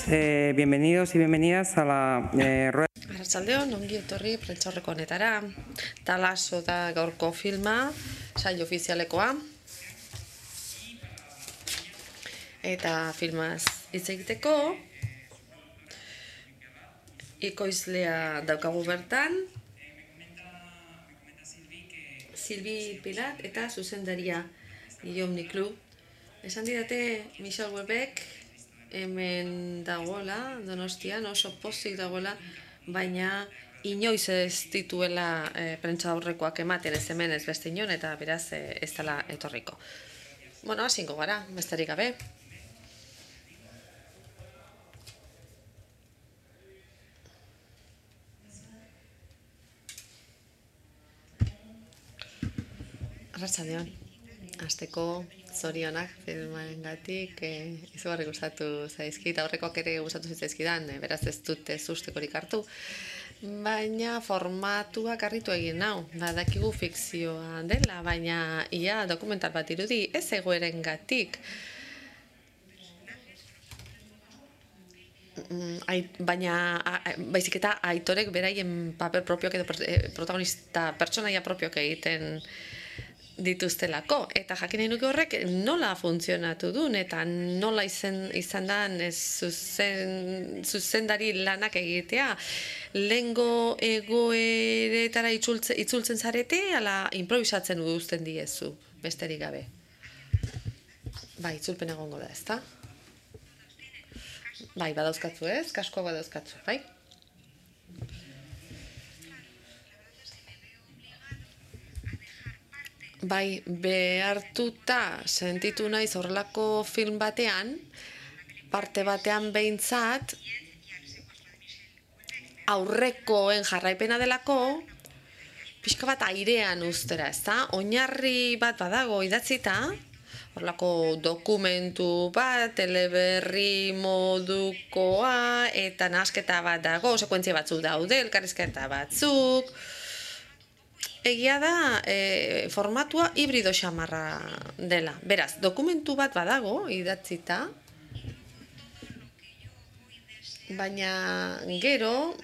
Bienvenidos y bienvenidas a la rueda. Arratsaldeon, ongi etorri prentsaurreko honetara. Talaso da gaurko filma, saio ofizialekoa. Eta filmaz hitz egiteko ekoizlea daukagu bertan, Silvi Pilat eta zuzendaria Guillaume Niclou. Esan didate Michel Houellebecq hemen dagoela, Donostian oso pozik dagoela, baina inoiz ez dituela prentsaurrekoak ematen ez hemen ez beste inon, eta beraz ez dela etorriko. Bueno, hasingo gara, besterik gabe. Arratsaldeon, hasteko zorionak filmarengatik, izugarri gustatu zaizkit, aurrekoak ere gustatu zitzaizkidan, beraz ez dut sustekorik hartu. Baina formatuak harritu egin nau, badakigu fikzioa dela, baina ia dokumental bat irudi ez egoerengatik. Baina baizik eta aitorek beraien paper propioak edo protagonista pertsonaia propioak egiten dituztelako, eta jakin nahi nuke horrek nola funtzionatu duen eta nola izan da zuzendari lanak egitea. Lehengo egoeretara itzultzen zarete, ala improvisatzen uduzten diezu, besterik gabe. Bai, itzulpen egongo da, ezta? Bai, badauzkatzu ez, kaskoa badauzkatzu, bai? Bai, behartuta sentitu naiz horrelako film batean, parte batean behintzat, aurrekoen jarraipena delako, pixka bat airean ustera, ezta? Oinarri bat badago idatzita, horrelako dokumentu bat, teleberri modukoa, eta nahasketa bat dago, sekuentzia batzuk daude, elkarrizketa batzuk. Egia da, formatua hibrido xamarra dela. Beraz, dokumentu bat badago idatzita, baina gero,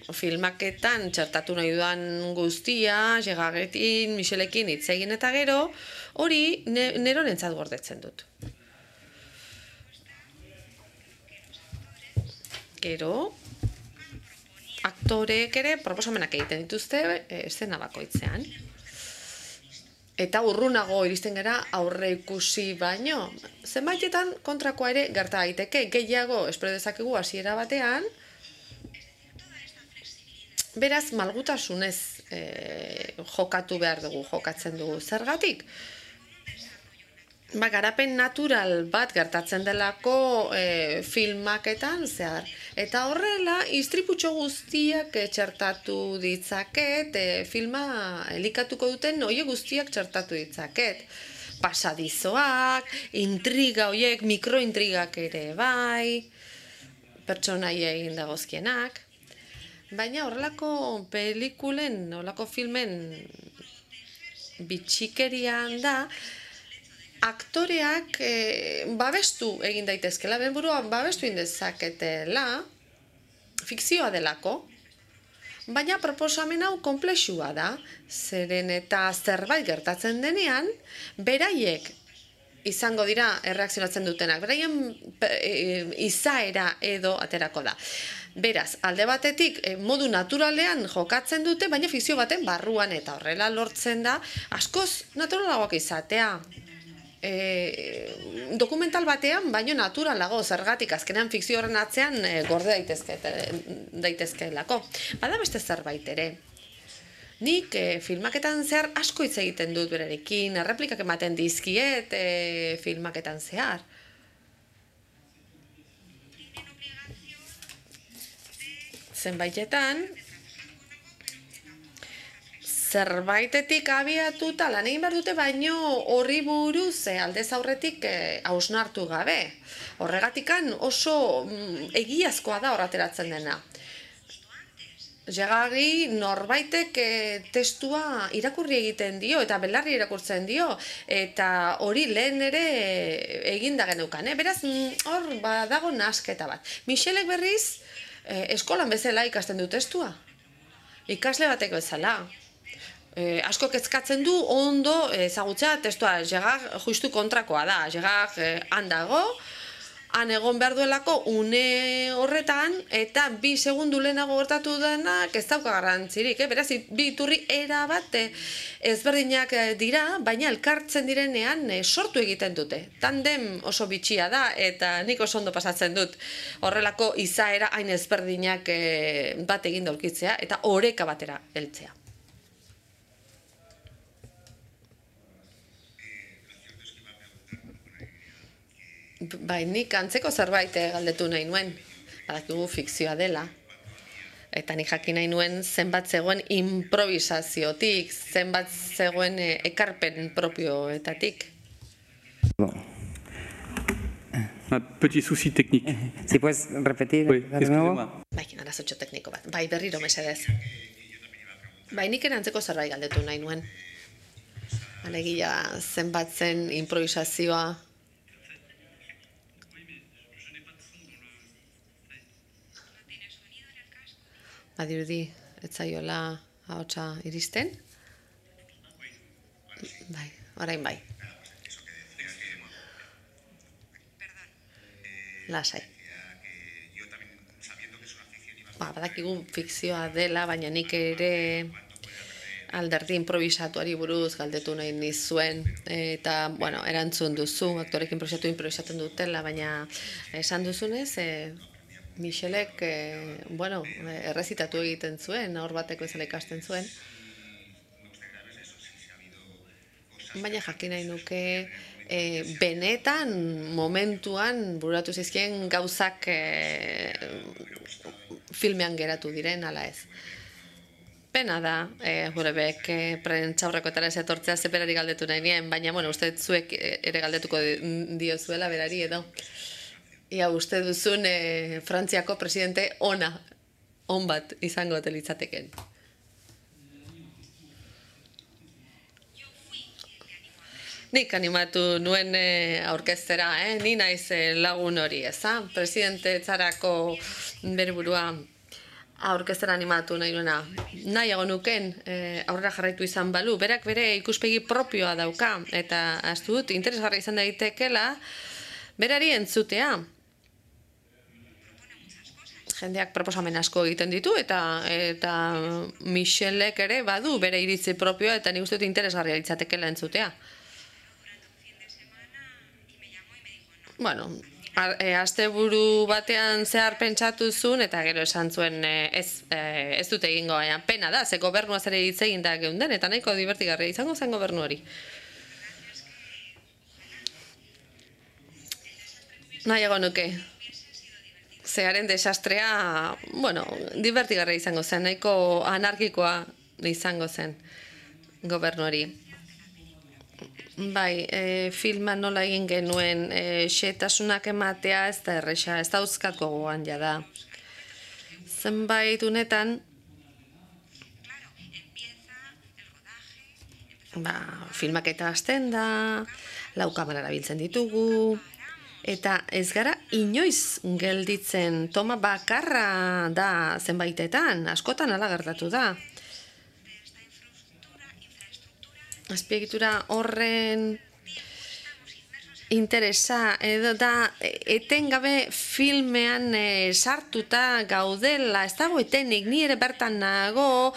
filmaketan txertatu nahi dudan guztia, Gerardekin, Michelekin hitz egin eta gero, hori neronentzat gordetzen dut. Gero, aktoreek ere proposamenak egiten dituzte eszena bakoitzean. Eta urrunago iristen gara aurre ikusi baino. Zenbaitetan kontrakoa ere gerta daiteke, gehiago espero dezakegu hasiera batean. Beraz, malgutasunez jokatu behar dugu, jokatzen dugu. Zergatik? Garapen natural bat gertatzen delako filmaketan zehar. Eta horrela, istriputxo guztiak txertatu ditzaket, filma elikatuko duten oie guztiak txertatu ditzaket. Pasadizoak, intriga horiek, mikrointrigak ere bai, pertsonaia egin dagozkienak. Baina horrelako pelikulen, horrelako filmen bitxikerian da, aktoreak babestu egin daitezkela, benburuan babestu indezaketela, fikzioa delako, baina proposamen hau konplexua da, zeren eta zerbait gertatzen denean, beraiek izango dira erreakzionatzen dutenak, beraien izaera edo aterako da. Beraz, alde batetik modu naturalean jokatzen dute, baina fikzio baten barruan, eta horrela lortzen da, askoz naturalagoak izatea. Dokumental batean, baino naturalago, zergatik azkenean fikzio horren atzean gorde daitezkeelako. Bada beste zerbait ere. Nik filmaketan zehar asko hitz egiten dut berarekin, erreplikak ematen dizkiet filmaketan zehar. Zenbaitetan, zerbaitetik abiatuta lan egin behar dute, baino horri buruz aldez aurretik hausnartu gabe. Horregatikan oso egiazkoa da horrateratzen dena. Jegari norbaitek testua irakurri egiten dio, eta belarri irakurtzen dio, eta hori lehen ere eginda geneukan. Beraz, hor badago nasketa bat. Michelek berriz, eskolan bezala ikasten du testua. Ikasle bateko bezala. Asko kezkatzen du ondo ezagutzea testua. Jegak justu kontrakoa da. Jegak handago, han egon behar duelako une horretan, eta 2 segundu lehenago gertatu denak ez dauka garrantzirik. Beraz, bi iturri erabat ezberdinak dira, baina elkartzen direnean sortu egiten dute. Tandem oso bitxia da, eta nik oso ondo pasatzen dut horrelako izaera hain ezberdinak bat egin daulkitzea, eta oreka batera heltzea. Bai, nik antzeko zerbait galdetu nahi nuen, badakigu fikzioa dela, eta nik jakin nahi nuen zenbat zegoen improvisaziotik, zenbat zegoen ekarpen propioetatik. Un petit souci technique. Si puedes repetir Oui, de nuevo. excusez-moi. Bai, arazotxo tekniko bat. Bai, berriro mesedez. Bai, nik ere antzeko zerbait galdetu nahi nuen. Alegia zenbat zen improvisazioa. Badirudi, ez zaiola ahotsa iristen? Bai, orain bai. Lasai. Badakigu fikzioa dela, baina nik ere alderdi improvisatuari buruz galdetu nahi nizuen, eta, bueno, erantzun duzu, aktorek improvisatzen dutela, baina esan duzunez, Michelek, bueno, errezitatu egiten zuen, hor bateko ezala ikasten zuen. Baina jakin nahi nuke, benetan, momentuan, bururatu zizkien gauzak filmean geratu diren, ala ez. Pena da, Jurebek prentxaurrekoetara ez etortzea zeperari galdetu nahi nien, baina, bueno, uste zuek ere galdetuko diozuela berari edo. Ia uste duzun Frantziako presidente on bat izango litzateken. Nik animatu nuen aurkeztera, ni naiz lagun hori, eza? Presidente etzarako bere burua aurkeztera animatu nahi nuena. Nahiago nuken aurrera jarraitu izan balu, berak bere ikuspegi propioa dauka, eta ahaztu dut interesgarria izan daitekela berari entzutea. Jendeak proposamen asko egiten ditu, eta Michelek ere badu bere iritzi propioa, eta nik uste dut interesgarria litzatekela entzutea. Bueno, asteburu batean zehar pentsatu zuen, eta gero esan zuen ez dute egingo, baina pena da, ze gobernuaz ere hitz egin da geunden, eta nahiko divertigarria izango zen gobernu hori. Nahiago nuke. Zearen desastrea, bueno, divertigarria izango zen, nahiko anarkikoa izango zen gobernu hori. Bai, filma nola egin genuen, xehetasunak ematea ez da erresa, ez da euskat gogoan jada. Zenbait unetan, filmaketa hasten da, 4 kamera erabiltzen ditugu, eta ez gara inoiz gelditzen, toma bakarra da zenbaitetan, askotan hala gertatu da. Azpiegitura horren interesa edo da etengabe filmean sartuta gaudela, ez dago etenik, ni ere bertan nago,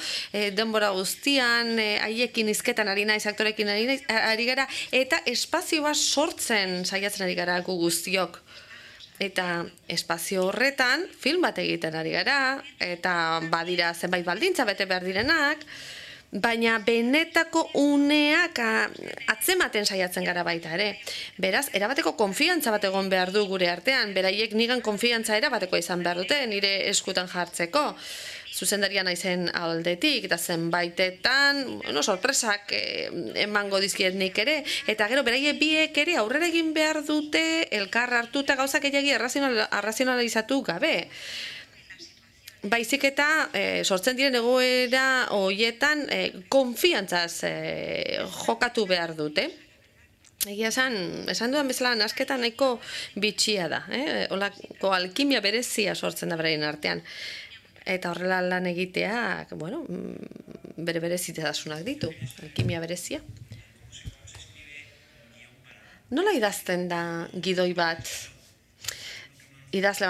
denbora guztian, haiekin hizketan ari naiz, aktorekin ari gara, eta espazio bat sortzen saiatzen ari gara gu guztiok. Eta espazio horretan film bat egiten ari gara, eta badira zenbait baldintza bete behar direnak, baina benetako uneak atzematen saiatzen gara baita ere. Beraz, erabateko konfiantza bat egon behar du gure artean, beraiek nigan konfiantza erabateko izan behar dute, nire eskutan jartzeko. Zuzendaria naizen aldetik, eta zenbaitetan, sorpresak emango dizkiet nik ere, eta gero beraiek biek ere aurrera egin behar dute, elkar hartuta gauzak gehiagi arrazionalizatu gabe. baizik eta sortzen diren egoera horietan konfiantzaz jokatu behar dute. Egia esan dudan bezala nasketa nahiko bitxia da, olako alkimia berezia sortzen da beraien artean. Eta horrela lan egiteak, bueno, bere berezitasunak ditu, alkimia berezia. Nola idazten da gidoi bat idazle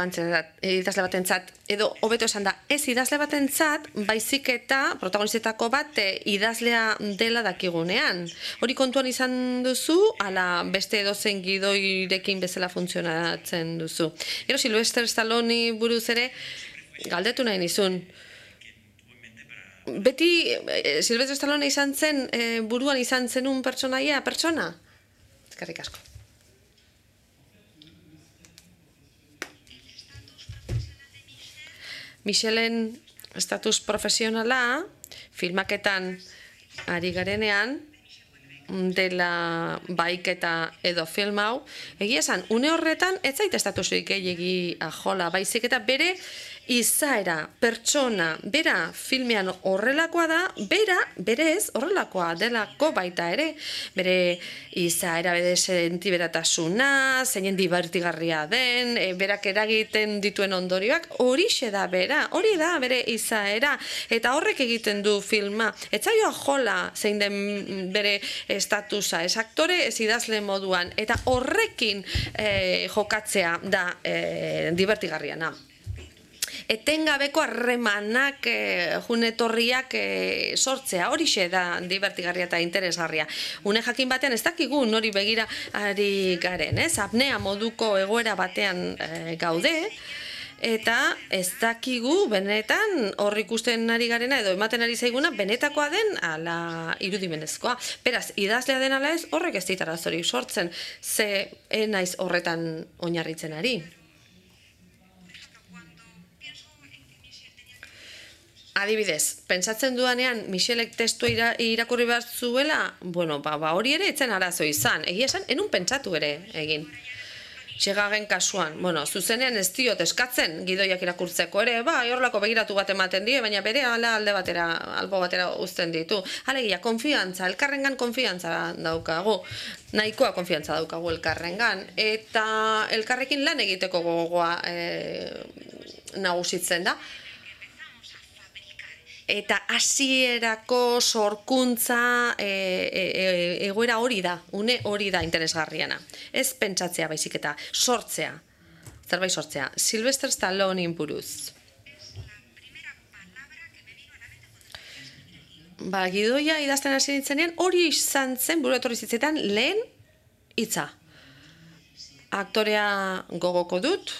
batentzat, edo hobeto esan da, ez idazle batentzat, baizik eta protagonistetako bat idazlea dela dakigunean. Hori kontuan izan duzu, ala beste edozein gidoirekin bezala funtzionatzen duzu. Gero Sylvester Stallone buruz ere, galdetu nahi nizun. Beti Sylvester Stallone izan zen, buruan izan zenun pertsonaia, pertsona? Eskerrik asko. Michelen estatus profesionala filmaketan ari garenean dela baiketa edo film hau, egia esan, une horretan ez zait estatusurik gehiegi ajola, baizik eta bere izaera, pertsona, bera filmean horrelakoa da, berez horrelakoa delako baita ere, bere izaera, bere sentiberatasuna, zeinen divertigarria den, berak eragiten dituen ondorioak, horixe da bera, hori da bere izaera, eta horrek egiten du filma, ez zaio ajola zein den bere estatusa, ez aktore, ez idazle moduan, eta horrekin jokatzea da divertigarriana. Etengabeko harremanak junetorriak sortzea, horixe da divertigarria eta interesgarria. Une jakin batean ez dakigu nori begira ari garen, apnea moduko egoera batean gaude, eta ez dakigu benetan hor ikusten ari garena edo ematen ari zaiguna benetakoa den ala irudimenezkoa. Beraz, idazlea den ala ez, horrek ez dit arazorik sortzen, ze naiz horretan oinarritzen ari. Adibidez, pentsatzen duanean Michelek testua irakurri behar zuela, bueno, hori ere etzen arazo izan. Egia esan, enun pentsatu ere egin. Txegagen kasuan, bueno, zuzenean ez diot eskatzen gidoiak irakurtzeko ere, horrelako begiratu bat ematen die, baina bere alde batera, albo batera uzten ditu. Alegia, konfiantza, elkarrengan konfiantza daukagu. Nahikoa konfiantza daukagu elkarrengan. Eta elkarrekin lan egiteko gogoa nagusitzen da. Eta hasierako sorkuntza egoera hori da, une hori da interesgarriana. Ez pentsatzea baizik eta sortzea, zerbait sortzea. Sylvester Stallone buruz. Gidoia idazten hasi nintzenean, hori izan zen buru etorri zitzetan lehen hitza. Aktorea gogoko dut,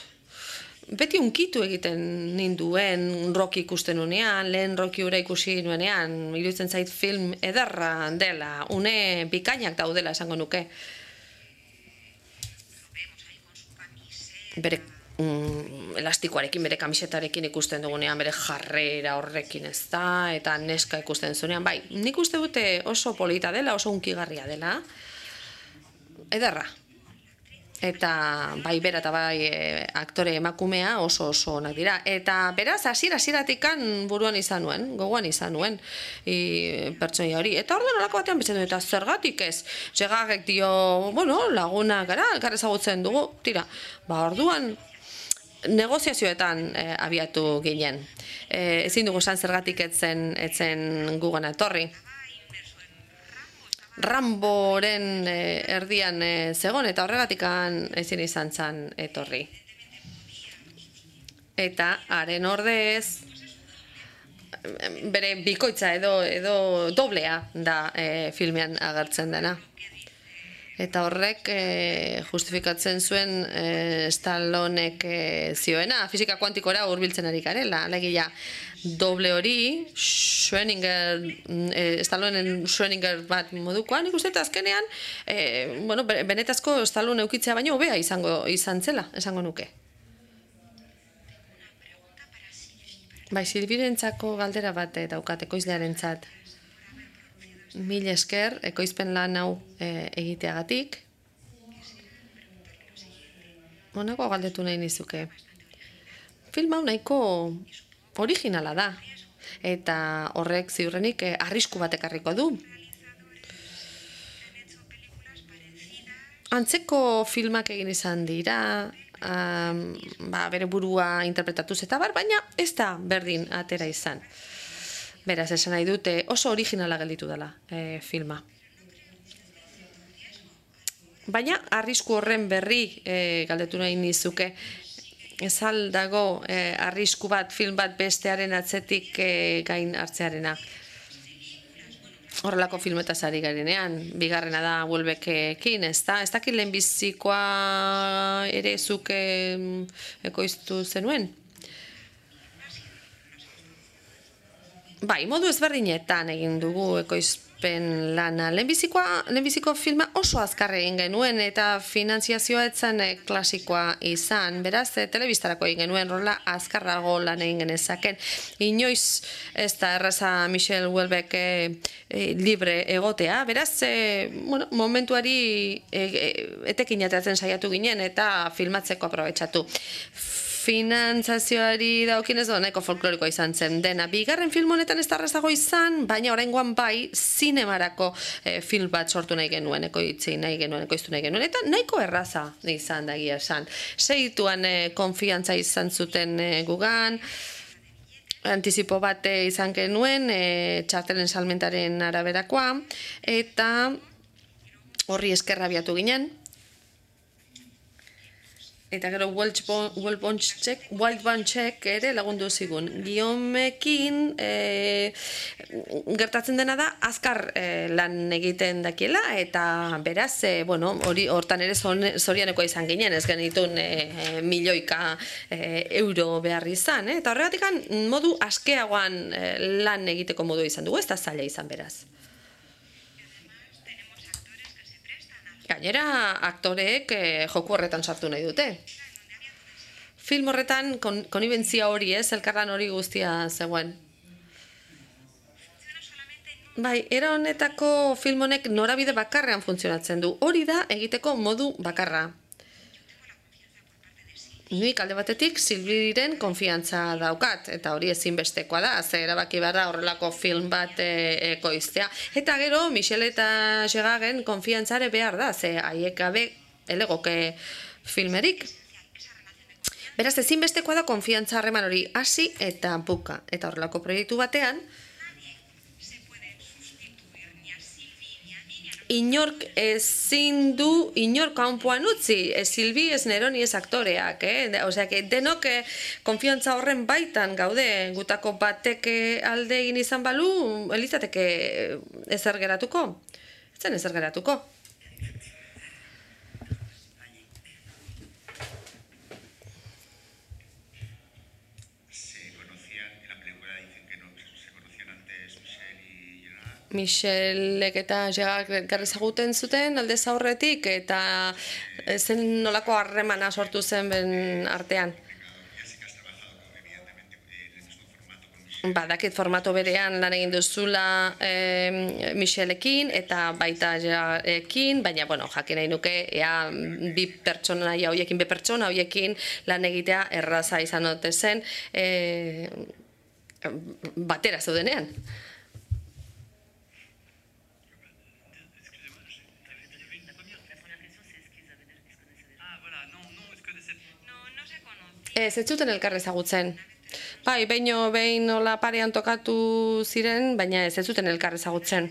beti unkitu egiten ninduen Rocky ikusten unean, lehen Rocky ura ikusi nuenean, iruditzen zait film ederra dela, une bikainak daudela esango nuke. Bere elastikoarekin, bere kamisetarekin ikusten dugunean, bere jarrera horrekin ez da, eta neska ikusten zunean, bai, nik uste dute oso polita dela, oso unkigarria dela, ederra. Eta bai bera eta bai aktore emakumea oso onak dira. Eta beraz, hasiera-hasieratik buruan izan nuen, gogoan izan nuen pertsonaia hori. Eta orduan alako batean betzen du, eta zergatik ez? Segagek dio, bueno, laguna gara, elkar ezagutzen dugu, tira. Orduan negoziazioetan abiatu ginen. Ezin dugu esan zergatik etzen gugana etorri. Ramboren erdian zegon eta horregatik ezin izan zan etorri. Eta haren ordez bere bikoitza edo doblea da filmean agertzen dena. Eta horrek justifikatzen zuen Stallonek zioena, fisika kuantikora hurbiltzen ari garela. Alegia, doble hori, Stallonen Schrödinger bat modukoan, ikusten eta azkenean, benetazko Stallone eukitzea baino hobea izan zela, esango nuke. Bai, Silbirentzako galdera bat daukat, ekoizlearentzat. Mil esker, ekoizpen lan hau egiteagatik. Honako galdetu nahi nizuke. Film hau nahiko originala da. Eta horrek ziurrenik arrisku bat ekarriko du. Antzeko filmak egin izan dira, bere burua interpretatuz eta baina ez da berdin atera izan. Beraz, esan nahi dute oso originala gelditu dela filma. Baina, arrisku horren berri galdetu nahi nizuke, ez dago arrisku bat, film bat bestearen atzetik gain hartzearena. Horrelako filmetaz ari garenean, bigarrena da Welbeckekin, ez da? Ez dakit lehenbizikoa ere zuk ekoiztu zenuen? Bai, modu ezberdinetan egin dugu ekoizpen lana. Lehenbiziko filma oso azkar egin genuen eta finantziazioa etzen klasikoa izan. Beraz, telebistarako egin genuen rola azkarrago lan egin genezaken. Inoiz ez da erraza Michel Houellebecq libre egotea. Beraz, momentuari etekin ateatzen saiatu ginen eta filmatzeko aprobetxatu. Finantzazioari daukinez nahiko folklorikoa izan zen dena. Bigarren film honetan ez da errazago izan, baina oraingoan bai zinemarako film bat sortu nahi genuen, ekoiztu nahi genuen, eta nahiko erraza izan da egia esan. Segituan konfiantza izan zuten gugan, antizipo bat izan genuen, txartelen salmentaren araberakoa, eta horri eskerra abiatu ginen. Eta gero Wild Bunch-ek ere lagundu zigun. Guillaumekin gertatzen dena da azkar lan egiten dakiela eta beraz, hortan ere zorianekoa izan ginen, ez genitun milioika euro behar izan. Eta horregatik modu askeagoan lan egiteko modu izan dugu, ez da zaila izan beraz. Gainera, aktoreek joku horretan sartu nahi dute. Film horretan konibentzia hori elkarlan hori guztia zegoen. Bai, era honetako film honek norabide bakarrean funtzionatzen du. Hori da egiteko modu bakarra. Nik alde batetik Silviren konfiantza daukat, eta hori ezinbestekoa da, ze erabaki behar da horrelako film bat ekoiztea. Eta gero, Michel eta Gerarden konfiantzare behar da, ze haiek gabe elegoke filmerik. Beraz, ezinbestekoa da konfiantza harreman hori hasi eta buka. Eta horrelako proiektu batean, inork ezin du inork kanpoan utzi, Silvi ez Neroni ez aktoreak, Osea, denok konfiantza horren baitan gaude, gutako batek alde egin izan balu, elizateke ezer geratuko. Ez zen ezer geratuko. Michelek eta Gerard ezaguten zuten aldez aurretik eta zen nolako harremana sortu zen ben artean. Badakit formato berean lan egin duzula Michelekin eta baita Gerardekin, baina jakin nahi nuke bi pertsonaia horiekin lan egitea erraza izan ote zen batera zeudenean. Ez zuten elkar ezagutzen. Bai, behin nola parean tokatu ziren, baina ez zuten elkar ezagutzen.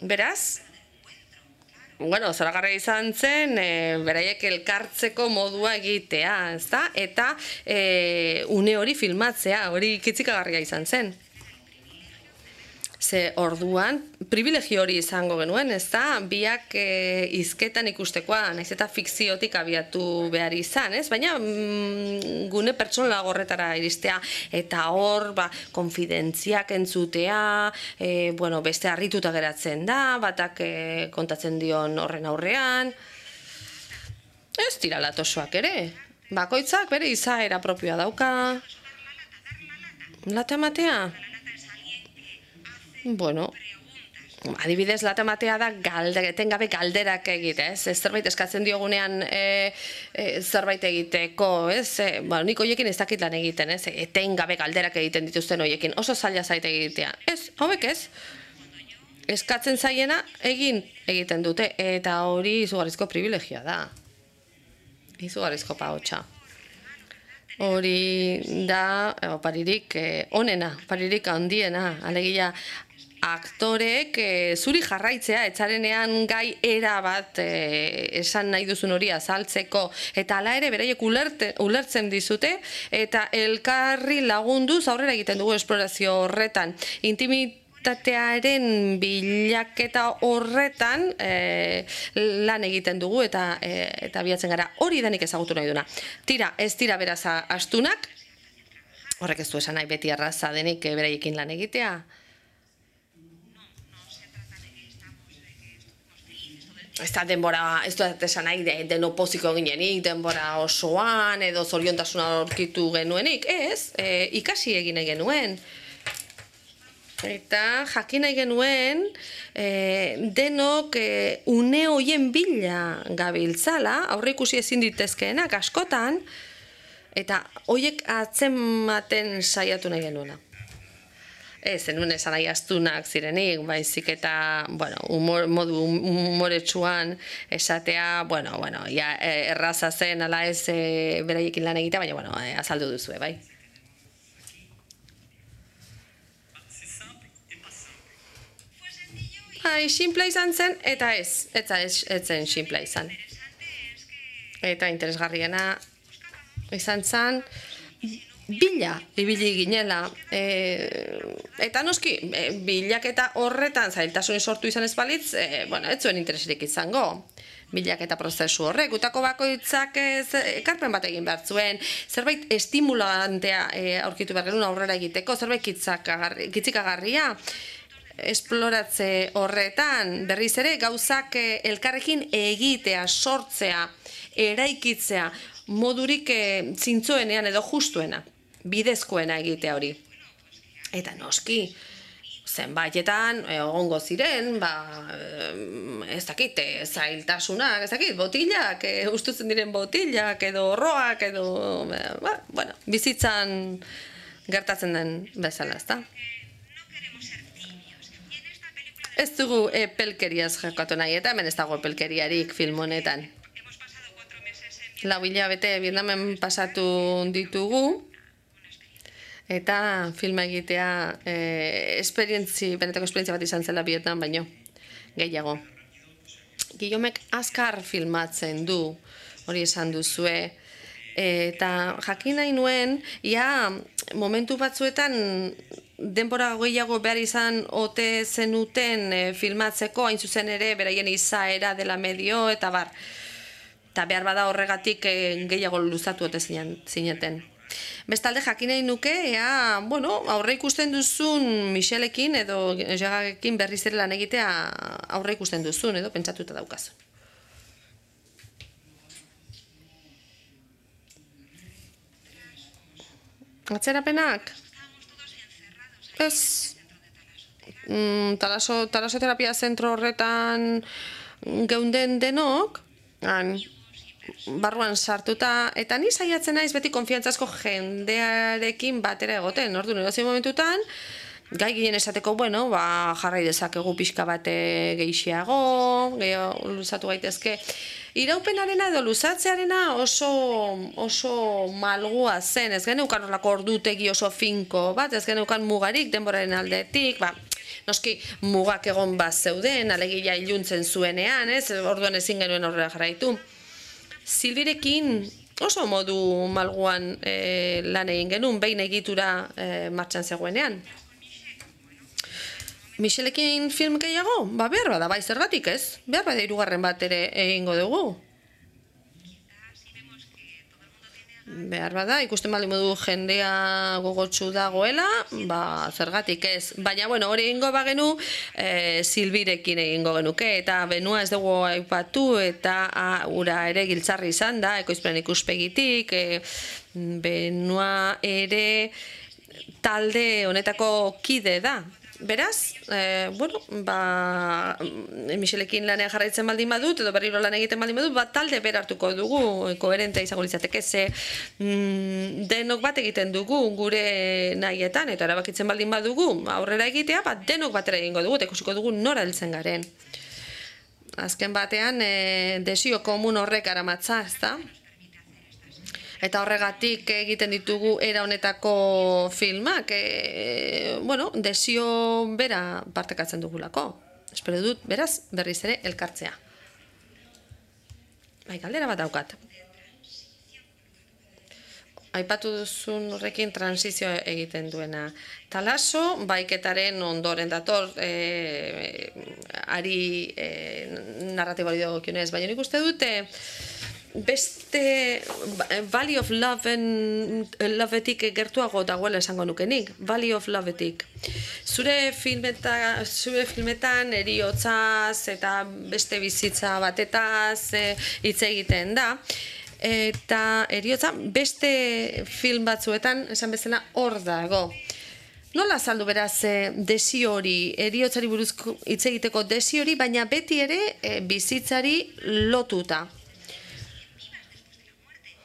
Beraz, zoragarria izan zen, beraiek elkartzeko modua egitea, ezta? Eta une hori filmatzea, hori kitzikagarria izan zen. Ze orduan, privilegio hori izango genuen, ezta? Biak hizketan ikustekoa, nahiz eta fikziotik abiatu behar izan, ez? Baina gune pertsonala horretara iristea, eta hor, konfidentziak entzutea, beste harrituta geratzen da, batak kontatzen dion horren aurrean. Ez dira latosoak ere. Bakoitzak bere izaera propioa dauka. Lata ematea? adibidez, lata matea da etengabe galderak egite, ez? Zerbait eskatzen diogunean zerbait egiteko, ez? Nik hoiekin ez dakit lan egiten, ez? Etengabe galderak egiten dituzten hoiekin, oso zaila zait egitea. Ez, hauek ez? Eskatzen zaiena egiten dute, eta hori izugarrizko privilegioa da. Izugarrizko pahotsa. Hori da, paririk onena, paririk handiena, alegia, aktorek zuri jarraitzea, etzarenean gai era bat esan nahi duzun hori azaltzeko, eta hala ere beraiek ulertzen dizute, eta elkarri lagunduz aurrera egiten dugu esplorazio horretan. Intimitatearen bilaketa horretan lan egiten dugu eta bilatzen gara. Hori danik ezagutu nahi duna. Tira, ez dira beraz astunak, horrek ez du esan nahi beti arraza denik beraiekin lan egitea. Ez da denbora, ez dut esan nahi deno poziko ginenik, denbora osoan edo zoriontasuna aurkitu genuenik, ez, ikasi egin nahi genuen. Eta jakin nahi genuen denok une hoien bila gabiltzala, aurreikusi ezin ditezkeenak askotan, eta hoiek atzematen saiatu nahi genuena. Ez, zenuen esan nahi astunak zirenik, baizik eta, modu humoretsuan esatea, erraza zen, ala ez beraiekin lan egitea, baina, azaldu duzue, bai. Simplea izan zen, eta ez zen simplea izan. Eta interesgarriena izan zen, bila ibili ginela, eta noski, bilaketa horretan zailtasunik sortu izan ez balitz, ez zuen intereserik izango. Bilaketa prozesu horrek, gutako bakoitzak ekarpen bat egin behar zuen, zerbait estimulantea aurkitu behar genuen aurrera egiteko, zerbait kitzikagarria, esploratze horretan, berriz ere, gauzak elkarrekin egitea, sortzea, eraikitzea, modurik zintzoenean edo justuena, bidezkoena egitea hori. Eta noski, zenbaitetan, egongo ziren, ez dakit, zailtasunak, ez dakit, botilak, ustutzen diren botilak, edo horroak, edo, bizitzan gertatzen den bezala, ez da? Ez dugu epelkeriaz jakatu nahi, eta hemen ez dago epelkeriarik film honetan. 4 hilabete Vietnamen pasatu ditugu, eta filma egitea benetako esperientzia bat izan zela Vietnam baino, gehiago. Guillaumek azkar filmatzen du, hori esan duzue, eta jakin nahi nuen, momentu batzuetan denbora gehiago behar izan ote zenuten filmatzeko, hain zuzen ere, beraien izaera dela medio, eta bar. Eta behar bada horregatik gehiago luzatu ote zineten. Bestalde jakin nahi nuke, aurre ikusten duzun Michelekin edo Jagarekin berriz ere lan egitea aurre ikusten duzun edo pentsatuta daukazu. Atzerapenak? Ez, talasoterapia zentro horretan geunden denok, barruan sartuta, eta ni saiatzen naiz beti konfiantzazko jendearekin batera egoten, orduan edozein momentutan, gai ginen esateko, jarrai dezakegu pixka bate gehiago, gehiago luzatu gaitezke. Iraupenarena edo luzatzearena oso malgua zen, ez geneukan horlako ordutegi oso finko bat, ez geneukan mugarik denboraren aldetik, noski mugak egon bat zeuden, alegia iluntzen zuenean, orduan ezin genuen horrela jarraitu. Silbirekin oso modu malguan lan egin genuen, behin egitura martxan zegoenean. Michelekin film gehiago? Behar bada, bai zergatik ez? Behar bada 3. bat ere egingo dugu. Behar bada, ikusten baldin modu jendea gogotsu dagoela, zergatik ez. Baina, hori egingo bagenu, Silbirekin egingo genuke, eta Benua ez dugu aipatu, eta ura ere giltzarri izan da, ekoizpen ikuspegitik, Benua ere talde honetako kide da. Beraz, Michelekin lanean jarraitzen baldin badut, edo berriro lan egiten baldin badut, talde bera hartuko dugu, koherente izango litzateke, ze denok bat egiten dugu gure nahietan, eta erabakitzen baldin badugu aurrera egitea, denok batera egingo dugu, eta ikusiko dugu nora heltzen garen. Azken batean, desio komun horrek aramatza, ezta? Eta horregatik egiten ditugu era honetako filmak, desio bera partekatzen dugulako. Espero dut, beraz, berriz ere elkartzea. Galdera bat daukat. Aipatu duzun horrekin transizio egiten duena. Talaso, baiketaren ondoren dator, ari narratibari dagokionez, baina nik uste dute, beste Valley of Loveetik gertuago dagoela esango nukenik. Valley of Loveetik. Zure filmetan heriotzaz eta beste bizitza batetaz hitz egiten da. Eta heriotza beste film batzuetan esan bezala hor dago. Nola azaldu beraz desio hori, heriotzari buruzko hitz egiteko desio hori, baina beti ere bizitzari lotuta.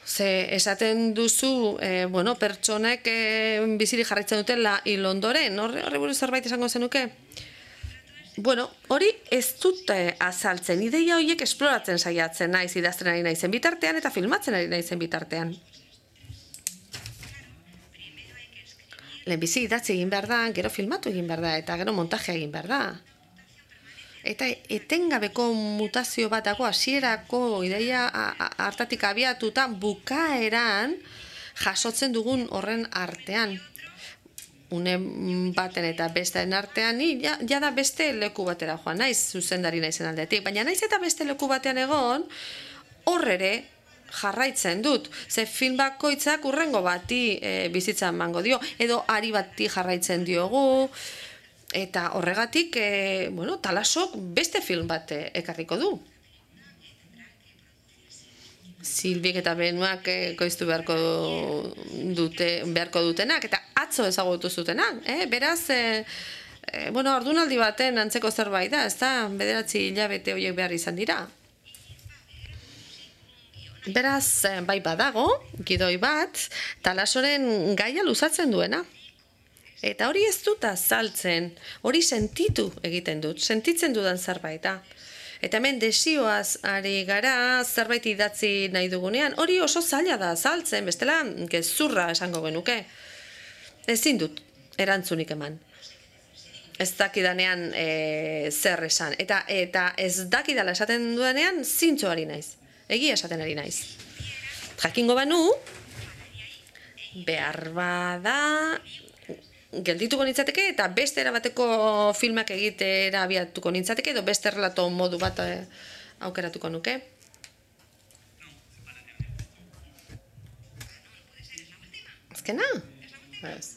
Ze esaten duzu, pertsonek bizirik jarraitzen dutela hil ondoren, horri buruz zerbait esango zenuke? Hori ez dute azaltzen, ideia horiek esploratzen saiatzen naiz, idazten ari naizen bitartean eta filmatzen ari naizen bitartean. Lehenbizi idatzi egin behar da, gero filmatu egin behar da, eta gero montajea egin behar da. Eta etengabeko mutazio bat dago, hasierako ideia hartatik abiatuta bukaeran jasotzen dugun horren artean. Une baten eta besteen artean, jada beste leku batera joan naiz, zuzendari naizen aldetik. Baina naiz eta beste leku batean egon, hor ere jarraitzen dut. Ze film bakoitzak hurrengo bati bizitza emango dio, edo ari bati jarraitzen diogu. Eta horregatik, Talasok beste film bat ekarriko du. Silbik eta Benuak koiztu beharko dutenak, eta atzo ezagutu zutenak. Beraz, ordunaldi baten antzeko zerbait da, ez da, 9 hilabete horiek behar izan dira. Beraz, bai badago, gidoi bat, Talasoren gaia luzatzen duena. Eta hori ez dut azaltzen, hori sentitu egiten dut, sentitzen dudan zerbait da. Eta hemen desioaz ari gara zerbait idatzi nahi dugunean, hori oso zaila da azaltzen, bestela gezurra esango genuke. Ezin dut erantzunik eman. Ez dakidanean zer esan. Eta ez dakidala esaten dudanean zintzo ari naiz. Egia esaten ari naiz. Jakingo banu, behar bada geldituko nintzateke eta beste erabateko filmak egitera abiatuko nintzateke edo beste relato modu bat aukeratuko nuke. Azkena? Ez.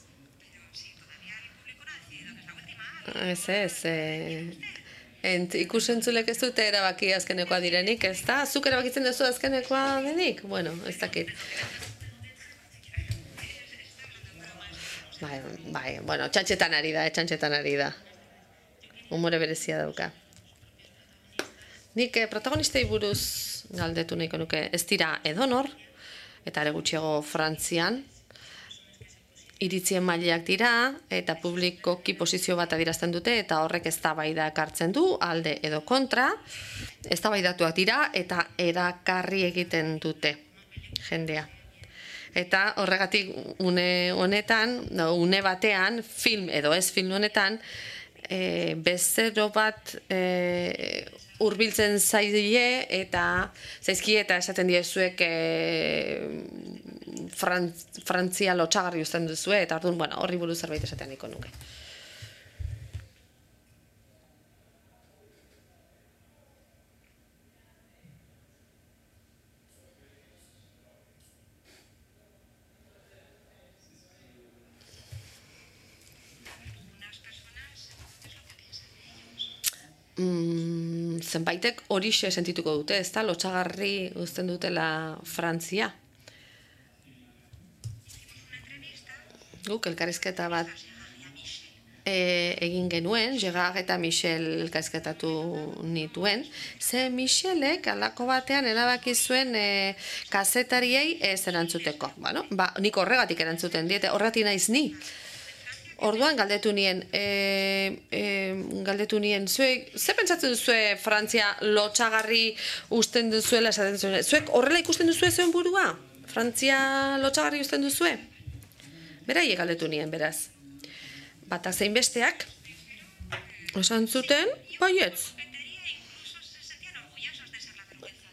Ikusentzulek ez dute erabaki azkenekoa direnik, ez da? Zuk erabakitzen duzu azkenekoa denik? Ez dakit. Bai, txantxetan ari da. Humore berezia dauka. Nik protagonistei buruz galdetu nahiko nuke, ez dira edonor, eta are gutxiago Frantzian, iritzien mailak dira, eta publikoki posizio bat adierazten dute, eta horrek eztabaida ekartzen du, alde edo kontra, eztabaidatuak dira, eta erakarri egiten dute jendea. Eta horregatik une batean, film edo ez film honetan, bezero bat hurbiltzen zaizkie eta esaten diezuek Frantzia lotsagarri uzten duzue, eta orduan, horri buruz zerbait esatean nahiko nuke. Zenbaitek horixe sentituko dute, ez da, lotsagarri uzten dutela Frantzia. guk elkarrizketa bat egin genuen, Gerard eta Michel elkarrizketatu nituen, ze Michelek alako batean erabaki zuen kazetariei ez erantzuteko. Bueno, nik horregatik erantzuten diete, horregatik naiz ni. Orduan galdetu nien, zuek, ze pentsatzen duzue Frantzia lotxagarri usten duzuela esaten zuen? Zuek horrela ikusten duzue zuen burua? Frantzia lotxagarri usten duzue? Berai galdetu nien, beraz. Batak zein besteak, esan zuten, baietz.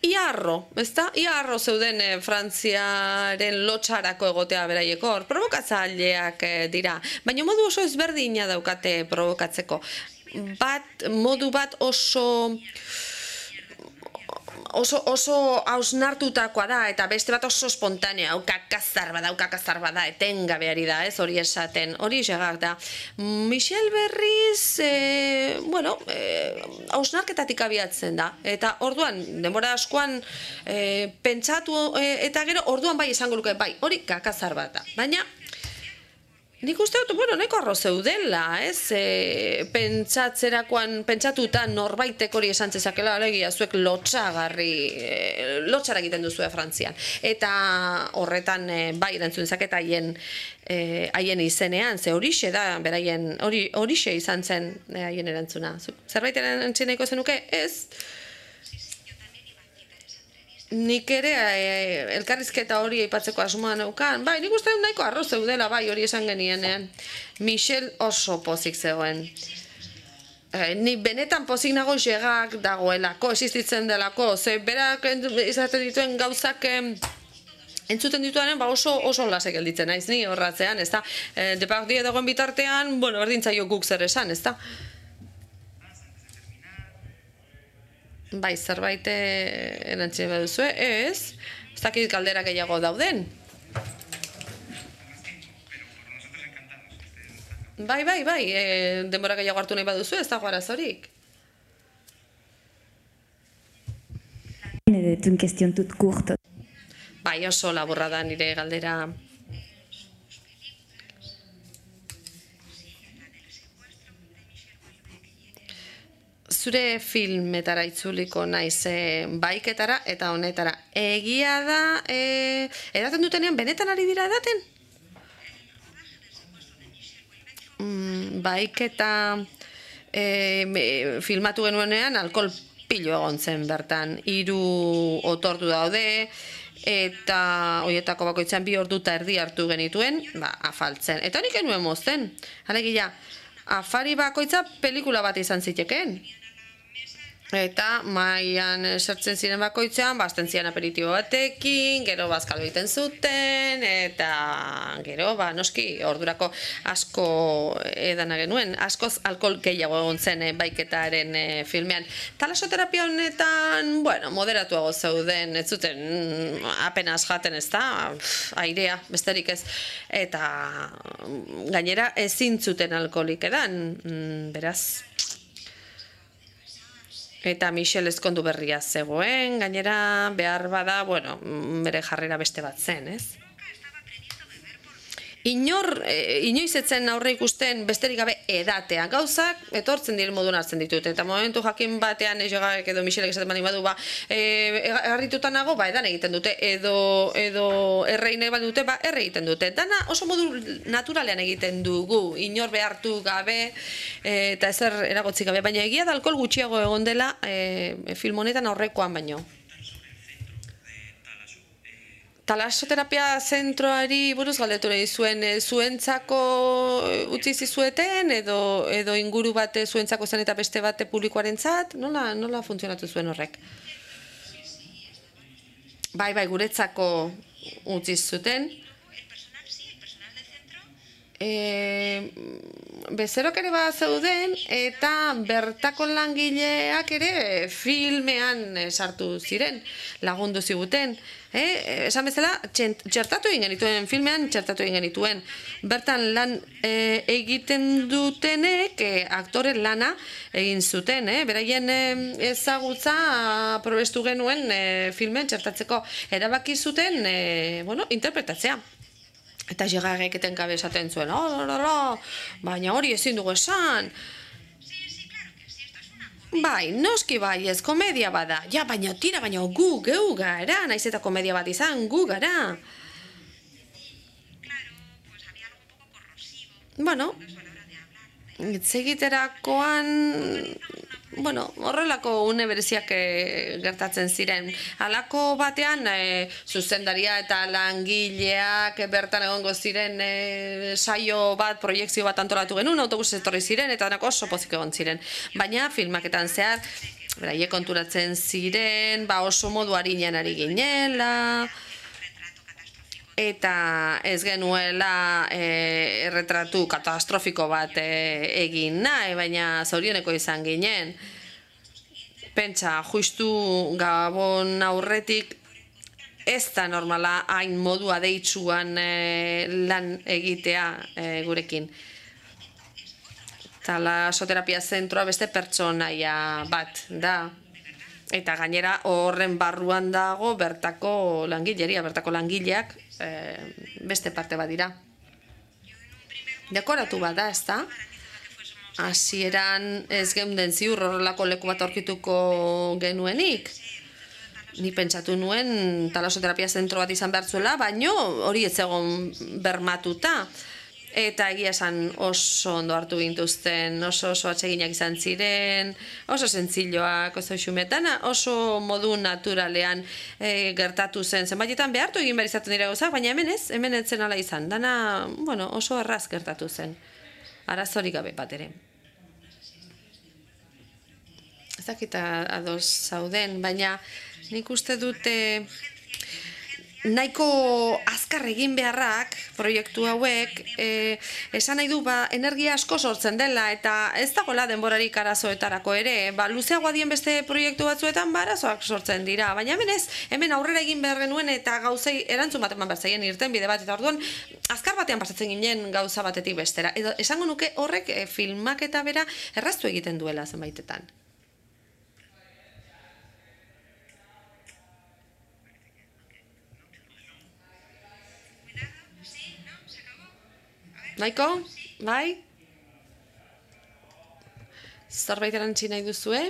Iarro, ezta? Iarro zeuden Frantziaren lotxarako egotea beraieko hor. Provokatzaileak dira, baina modu oso ezberdina daukate provokatzeko. Modu bat oso hausnartutakoa da, eta beste bat oso espontanea, haukakazar bada, etengabeari da, ez hori esaten, hori Gerard da. Michel berriz, hausnarketatik abiatzen da, eta orduan, denbora askoan pentsatu eta gero, orduan bai esango luke, bai, hori kakazar bat da, baina, nik uste dut, nahiko arro zeudela, ez? Pentsatuta norbaitek hori esan zezakela, alegia, zuek lotxara egiten duzue Frantzian. Eta horretan, bai, erantzun dezaketa haien izenean, ze horixe da, beraien, horixe izan zen haien erantzuna. Zerbait erantzun nahiko zenuke? Ez? Nik ere elkarrizketa hori aipatzeko asmoa neukan. Bai, nik uste dut nahiko arro zeudela, bai, hori esan genienean. Michel oso pozik zegoen. Ni benetan pozik nago Gerard dagoelako, existitzen delako. Ze berak izaten dituen gauzak entzuten dituaren oso lasek gelditzen naiz, ni horratzean, ez da? Depardieu dagoen bitartean, berdintzaio guk zer esan, ez da? Bai, zerbait erantzine baduzue, ez dakit galdera gehiago dauden. Bai, denbora gehiago hartu nahi baduzu, ez dago arazorik. Une question toute courte. Bai, oso laburra da nire galdera. Zure filmetara itzuliko naiz baiketara eta honetara. Egia da, edaten dutenean, benetan ari dira edaten? Baiketa filmatu genuenean alkohol pilo egon zen bertan. 3 otordu daude, eta horietako bakoitzan 2 ordu eta erdi hartu genituen, afaltzen. Eta nik genuen mozten. Alegia, afari bakoitza pelikula bat izan zitekeen. Eta maian sartzen ziren bakoitzean, bazten ziren aperitibo batekin, gero bazkalo egiten zuten, eta gero, noski, ordurako asko edana genuen, askoz alkohol gehiago egon zen baiketaren filmean. Talasoterapia honetan, moderatuago zeuden, ez zuten apenas jaten, ez da, airea, besterik ez, eta gainera ezin zuten alkoholik edan, beraz. Eta Michel ezkondu berria zegoen, gainera behar bada, bere jarrera beste bat zen, ez? Inoiz etzen aurre ikusten besterik gabe edatea. Gauzak etortzen diren moduan hartzen ditut. Eta momentu jakin batean Gerard edo Michelek esaten bani badu, errituta nago, edan egiten dute. Edo errein nahi bat dute, erre egiten dute. Dana oso modu naturalean egiten dugu, inor behartu gabe eta ezer eragotzik gabe. Baina egia da alkohol gutxiago egon dela film honetan aurrekoan baino. Talasoterapia zentroari buruz galdetu nahi zuen, zuentzako utzi zizueten edo inguru bate zuentzako zen eta beste bate publikoarentzat? Nola funtzionatu zuen horrek? Bai, guretzako utzi zuten. Bezerok ere bat zeuden eta bertako langileak ere filmean sartu ziren, lagundu ziguten. Esan bezala, txertatu egin genituen, filmean txertatu egin genituen. Bertan lan egiten dutenek aktore lana egin zuten, beraien ezagutza probestu genuen filmean txertatzeko erabaki zuten interpretatzea. Eta Gerardek etengabe esaten zuen, baina hori ezin dugu esan. Bai, noski bai, ez komedia bada. Ja, baina tira, baina geu gara, naiz eta komedia bat izan, gu gara. Bueno, egiterakoan, horrelako une bereziak gertatzen ziren. Halako batean, zuzendaria eta langileak bertan egongo ziren saio bat, proiektzio bat antolatu genuen, autobus etorri ziren, eta denako oso pozik egon ziren. Baina filmaketan zehar, beraiek konturatzen ziren, oso modu harinean ari ginela, eta ez genuela erretratu katastrofiko bat egin nahi, baina zorioneko izan ginen. Pentsa, justu Gabon aurretik ez da normala hain modua deitsuan lan egitea gurekin. Talasoterapia zentroa beste pertsonaia bat da. Eta gainera horren barruan dago bertako langileria, bertako langileak beste parte bat dira. Dekoratu bat da, ez da? Hasieran ez geunden ziur horrelako leku bat aurkituko genuenik. Ni pentsatu nuen talasoterapia zentro bat izan behar zuela, baino hori ez egon bermatuta. Eta egia esan oso ondo hartu gintuzten, oso atseginak izan ziren, oso zentzilloak, oso xumetana, oso modu naturalean gertatu zen. Zenbaitetan behartu egin behar izaten dira gauzak, baina hemen ez zen ala izan. Dana, oso erraz gertatu zen. Arazorik gabe bat ere. Ez dakita ados zauden, baina nik uste dute nahiko azkar egin beharrak, proiektu hauek, esan nahi du energia asko sortzen dela, eta ez dagoela denborarik arazoetarako ere, luzeagoa dien beste proiektu batzuetan arazoak sortzen dira, baina hemen aurrera egin behar genuen eta gauzei erantzun bat eman behar zaien irten bide bat, eta orduan azkar batean pasatzen ginen gauza batetik bestera. Edo esango nuke horrek filmak eta bera erraztu egiten duela zenbaitetan. Naiko? Bai? Zerbait erantzi nahi duzue?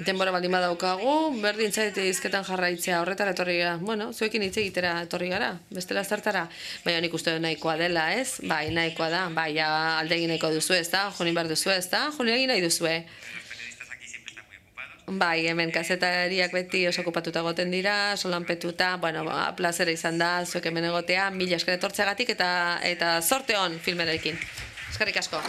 Denbora baldin badaukagu, berdin zaite hizketan jarraitzea horretara etorri gara. Zuekin hitz egitera etorri gara, bestela zertara. Baina nik uste nahikoa dela, ez? Bai, nahikoa da. Bai, alde egin nahiko duzu, ez da? Jonin behar duzu, ez da? Jonin egin nahi duzue. Bai, hemen kazetariak beti oso okupatuta goten dira, solanpetuta, plazera izan da, zuek hemen egotea, mila esker etortzeagatik eta zorte on filmerekin. Eskerrik asko.